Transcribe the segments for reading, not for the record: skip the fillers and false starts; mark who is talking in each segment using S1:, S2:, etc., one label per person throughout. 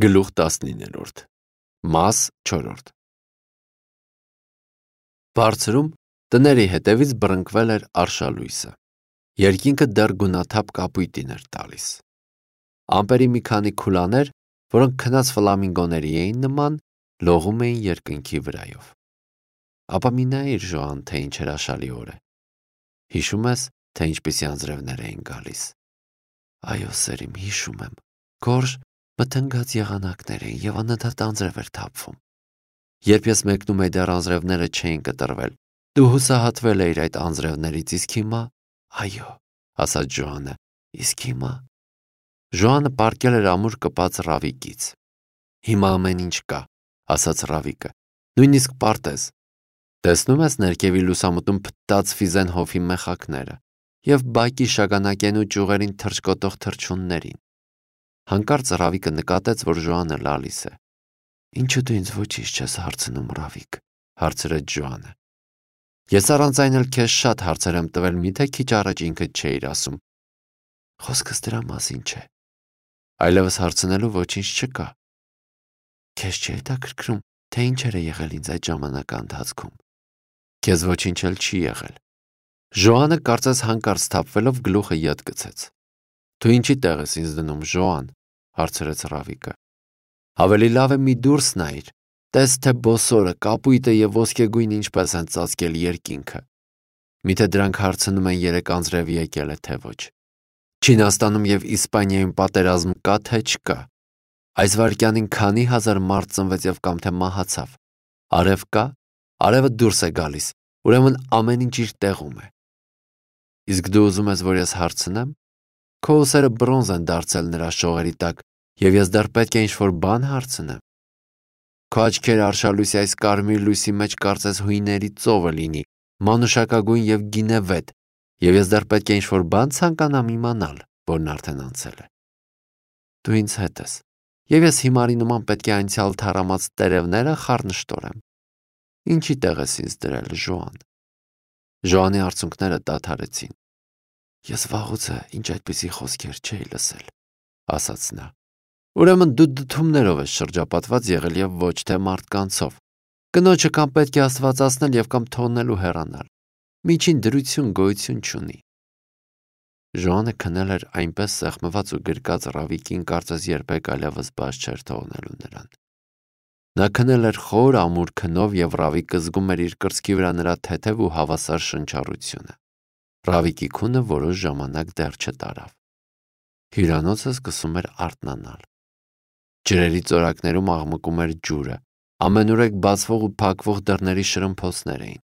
S1: Գլուխ 19 Մաս 4 Բարձրում տների հետևից բռնկվել էր արշալույսը։ Երկինքը դեռ գունաթափ կապույտին էր տալիս։ Ամպերի մի քանի քուլաներ, որոնք քնած ֆլամինգոների էին նման, լողում էին երկնքի վրայով։ Ապա մի նայիր, Ժոան, թե ինչ հրաշալի օր է։ Հիշում ես, թե ինչպիսի անձրևներ էին գալիս։ Այո, սերիմ, հիշում եմ։ Գորշ մթնգած եղանակներ էին և անընդհատ անձրև էր թափվում։ Երբ ես մեկնում էի, դեռ անձրևները չէին կտրվել, դու հուսահատվել էիր այդ անձրևներից, իսկ հիմա… Այո, ասաց Ժոանը, իսկ հիմա… Ժոանը պառկել էր ամուր կպած Ռավիկից։ Հիմա ամեն ինչ կա, ասաց Ռավիկը, նույնիսկ պարտեզ։ Տեսնում ես ներքևի լուսամուտում փտտած Ֆիզենհոֆի մեխակները և բակի շագանակենու ճյուղերին թռչկոտող թռչուններին։ Հանկարծ Ռավիկը նկատեց, որ Ժոանը լալիս է։ Ինչու դու ինձ ոչինչ չես հարցնում, Ռավիկ, հարցրեց Ժոանը։ Ես առանց այն էլ քեզ շատ հարցեր եմ տվել, միթե քիչ առաջ ինքդ չէիր ասում։ Խոսքս դրա մասին չէ։ Այլևս հարցնելու ոչինչ չկա։ Քեզ չի հետաքրքրում, թե ինչեր է եղել ինձ այդ ժամանակա ընթացքում։ Քեզ ոչինչ էլ չի եղել։ Ժոանը կարծես հանկարծ թափվելով գլուխը յետ գցեց։ Դու ինչի տեղ ես ինձ դնում, Ժոան, հարցրեց Ռավիկը։ Ավելի լավ է մի դուրս նայիր, տես թե բոսորը, կապույտը և ոսկեգույնը ինչպես են ծածկել երկինքը։ Միթե դրանք հարցնում են երեք անձրև եկել է, թե ոչ։ Չինաստանում և Իսպանիայում պատերազմ կա, թե չկա։ Այս վայրկյանին քանի հազար մարդ ծնվեց և կամ թե մահացավ։ Արև կա, արևը դուրս է գալիս, ուրեմն ամեն ինչ իր տեղում է։ Իսկ դու ուզում ես, որ ես հարցնեմ։ Քո ուսերը բրոնզ են դարձել նրա շողերի տակ, և ես դեռ պետք է ինչ-որ բան հարցնեմ։ Քո աչքերը արշալույսի այս կարմիր լույսի մեջ կարծես հույների ծովը լինի, մանուշակագույն և գինևետ, և ես դեռ պետք է ինչ-որ բան ցանկանամ իմանալ, որն արդեն անցել է։ Դու ինձ հետ ես, և ես հիմարի նման պետք է անցյալ թառամած տերևները խառնշտորեմ։ Ինչի տեղ ես ինձ դրել, Ժոան։ Ժոանի արցունքները դադարեցին։ Ես վաղուց է ինչ այդպիսի խոսքեր չէի լսել, ասաց նա։ Ուրեմն դու դդումներով ես շրջապատված եղել և ոչ թե մարդկանցով։ Կնոջը կամ պետք է աստվածացնել և կամ թողնելու հեռանալ։ Միջին դրություն գոյություն չունի։ Ժոանը քնել էր այնպես սեղմված ու գրկած Ռավիկին, կարծես երբեք այլևս բաց չէր թողնելու նրան։ Նա քնել էր խոր ամուր քնով և Ռավիկը զգում էր իր կրծքի վրա նրա թեթև ու հավասար շնչառությունը։ Ռավիկի քունը որոշ ժամանակ դեռ չտարավ։ Հյուրանոցը սկսում էր արթնանալ։ Ջրերի ծորակներում աղմկում էր ջուրը, ամենուրեք բացվող ու փակվող դռների շրմփոցներ էին։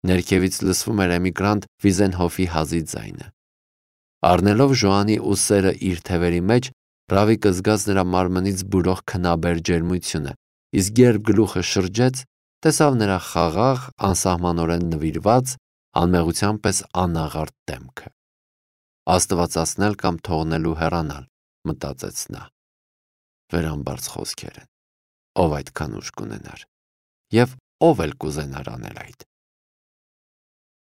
S1: Ներքևից լսվում էր էմիգրանտ Ֆիզենհոֆի հազի ձայնը։ Առնելով Ժոանի ուսերը իր թևերի մեջ, Ռավիկը զգաց նրա մարմնից բուրող քնաբեր ջերմությունը, իսկ երբ գլուխը շրջեց, տեսավ նրա խաղաղ, անսահմանորեն նվիրված, անմեղության պես անաղարտ դեմքը։ Աստվածացնել կամ թողնելու հեռանալ, մտածեց նա։ Վերամբարձ խոսքեր են։ Ով այդքան ուժ կունենար։ Եվ ով էլ կուզենար անել այդ։